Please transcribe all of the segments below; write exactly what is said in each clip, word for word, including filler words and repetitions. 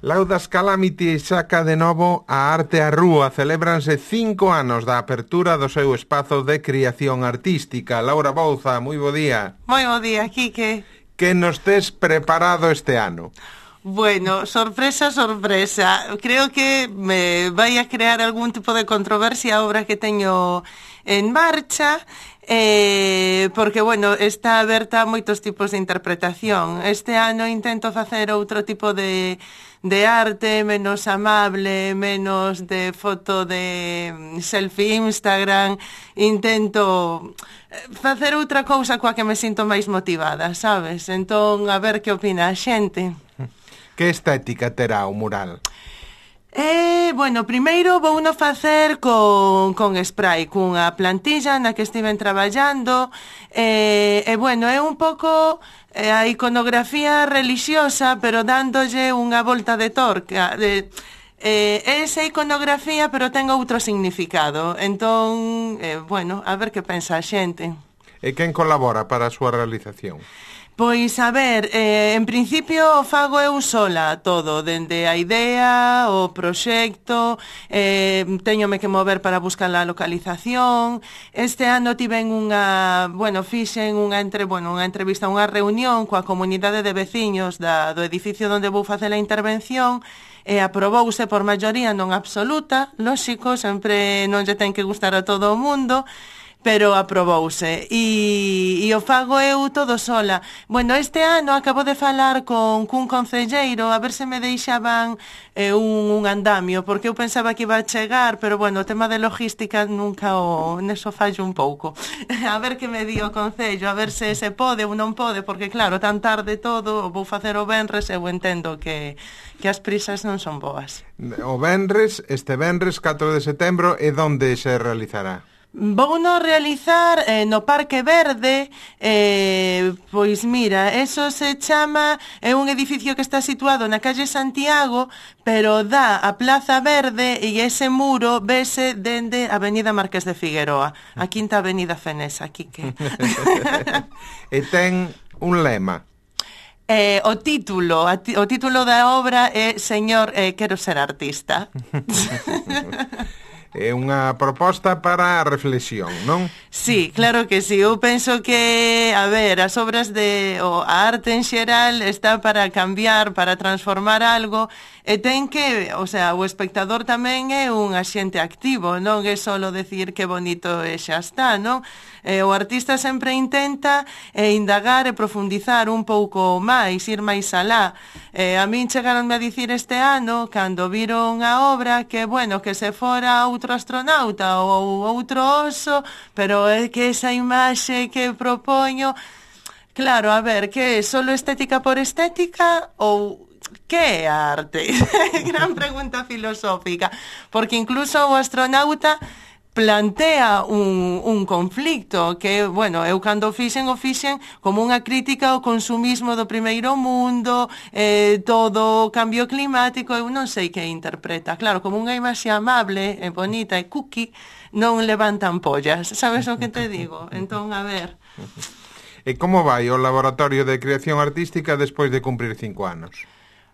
Laudas Calamity saca de novo a arte á rúa. Celébranse cinco anos da apertura do seu espazo de creación artística. Laura Bouza, moi bo día. Moi bo día, Quique. Que nos tes preparado este ano? Bueno, sorpresa, sorpresa. Creo que me vai a crear algún tipo de controversia a obra que teño en marcha, eh, porque, bueno, está aberta a moitos tipos de interpretación. Este ano intento facer outro tipo de, de arte, menos amable, menos de foto de selfie Instagram. Intento facer outra cousa coa que me sinto máis motivada, sabes? Entón, a ver que opina a xente. Que estética terá o mural? Eh, bueno, primeiro vou no facer con, con spray, cunha plantilla na que estiven traballando, e, eh, eh, bueno, é un pouco eh, a iconografía relixiosa, pero dándolle unha volta de torca, de... Eh, esa iconografía, pero ten outro significado. Entón, eh, bueno, a ver que pensa a xente. E quen colabora para a súa realización? Pois, a ver, eh, en principio fago eu sola todo, dende a idea, o proxecto, eh, teñome que mover para buscar a localización. Este ano tiven unha, bueno, fixen unha, entre, bueno, unha entrevista, unha reunión coa comunidade de veciños da, do edificio onde vou facer a intervención, e aprobouse por maioría non absoluta, lóxico, sempre non lle ten que gustar a todo o mundo, pero aprobouse, e, e o fago eu todo sola. Bueno, este ano acabo de falar con cun concelleiro a ver se me deixaban eh, un, un andamio, porque eu pensaba que iba a chegar, pero bueno, o tema de logística nunca o... neso fallo un pouco. A ver que me di o concello, a ver se se pode ou non pode, porque claro, tan tarde todo, vou facer o venres, eu entendo que, que as prisas non son boas. O venres, este venres catro de setembro, e onde se realizará? Vou no realizar eh, no Parque Verde, eh, pois mira, eso se chama, é un edificio que está situado na calle Santiago, pero dá a Plaza Verde e ese muro vese dende a Avenida Marqués de Figueroa, a quinta avenida Fenesa, aquí que... E ten un lema. Eh, o título, o título da obra é Señor, eh, quero ser artista. É unha proposta para a reflexión, non? Sí, claro que sí. Eu penso que, a ver, as obras de... o, a arte en xeral está para cambiar, para transformar algo, e ten que... o sea, o espectador tamén é un axente activo, non é solo decir que bonito e xa está, non? Eh, o artista sempre intenta eh, indagar e profundizar un pouco máis, ir máis alá. Eh, a min chegaronme a dicir este ano, cando viron a obra, que, bueno, que se fora outro astronauta ou outro oso, pero é que esa imaxe que propoño, claro, a ver, que é solo estética por estética ou que é a arte? Gran pregunta filosófica, porque incluso o astronauta plantea un, un conflicto que, bueno, eu cando fixen o fixen como unha crítica ao consumismo do primeiro mundo, eh, todo o cambio climático, eu non sei que interpreta. Claro, como unha imaxe amable, e bonita e cookie, non levantan pollas, sabes o que te digo? Entón, a ver... E como vai o Laboratorio de Creación Artística despois de cumprir cinco anos?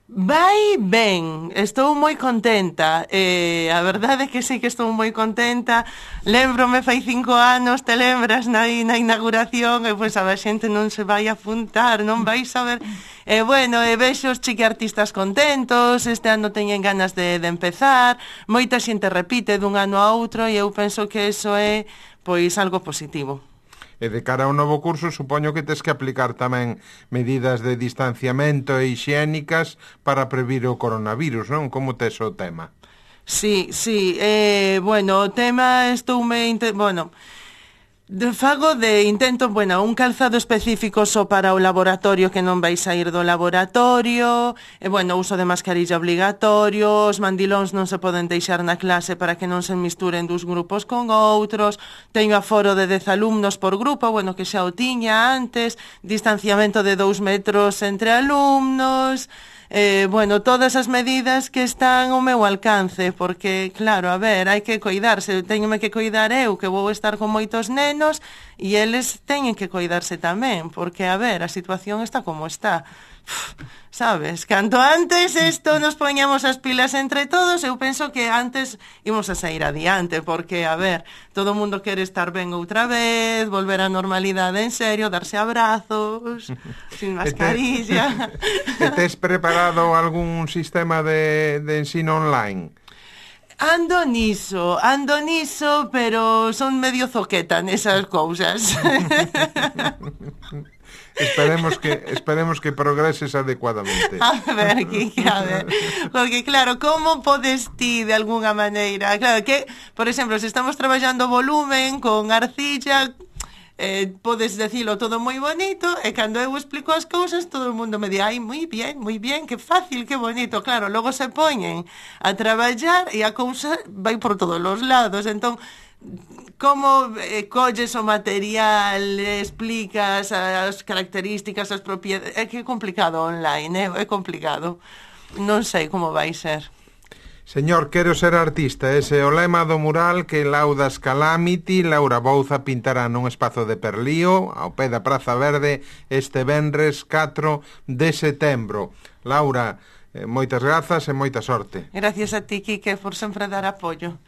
Vai ben, estou moi contenta, eh, a verdade é que sí que estou moi contenta. Lembrome fai cinco anos, te lembras, na, na inauguración, e pois a xente non se vai a apuntar, non vai saber. E eh, bueno, e vexo os chiquiartistas contentos, este ano teñen ganas de, de empezar, moita xente repite dun ano a outro, e eu penso que eso é pois algo positivo. E de cara ao novo curso, supoño que tes que aplicar tamén medidas de distanciamento e hixiénicas para previr o coronavirus, non? Como tes o tema? Sí, sí, eh, bueno, o tema estoume... Bueno... De fago de intento, bueno, un calzado específico só para o laboratorio que non vai sair do laboratorio, e, bueno, uso de mascarilla obligatorio, os mandilóns non se poden deixar na clase para que non se misturen dos grupos con outros, teño aforo de dez alumnos por grupo, bueno, que xa o tiña antes, distanciamento de dous metros entre alumnos... Eh, bueno, todas as medidas que están ao meu alcance, porque, claro, a ver, hai que coidarse, teñome que coidar eu, que vou estar con moitos nenos, e eles teñen que coidarse tamén, porque, a ver, a situación está como está. sabes, canto antes isto nos poñamos as pilas entre todos, eu penso que antes imos a sair adiante, porque, a ver, todo o mundo quere estar ben outra vez, volver á normalidade en serio, darse abrazos, sin mascarilla. E tes preparado algún sistema de, de ensino online? Ando niso, ando niso, pero son medio zoqueta nesas cousas. Esperemos que esperemos que progreses adecuadamente. A ver, Kiki, a ver. Porque, claro, como podes ti, de alguna maneira? Claro que, por exemplo, se estamos traballando volumen con arcilla, eh, podes decilo todo moi bonito, e cando eu explico as cousas, todo o mundo me di, ai, moi bien, moi bien, que fácil, que bonito. Claro, logo se poñen a traballar e a cousa vai por todos os lados. Entón, como eh, colles o material, explicas as características, as propiedades, é que é complicado online, é, é complicado. Non sei como vai ser. Señor, quero ser artista, ese é o lema do mural que Laudas Calamity, Laura Bouza, pintará nun espazo de Perlío, ao pé da Praza Verde, este venres catro de setembro. Laura, eh, moitas grazas e moita sorte. Gracias a ti, Quique, por sempre dar apoio.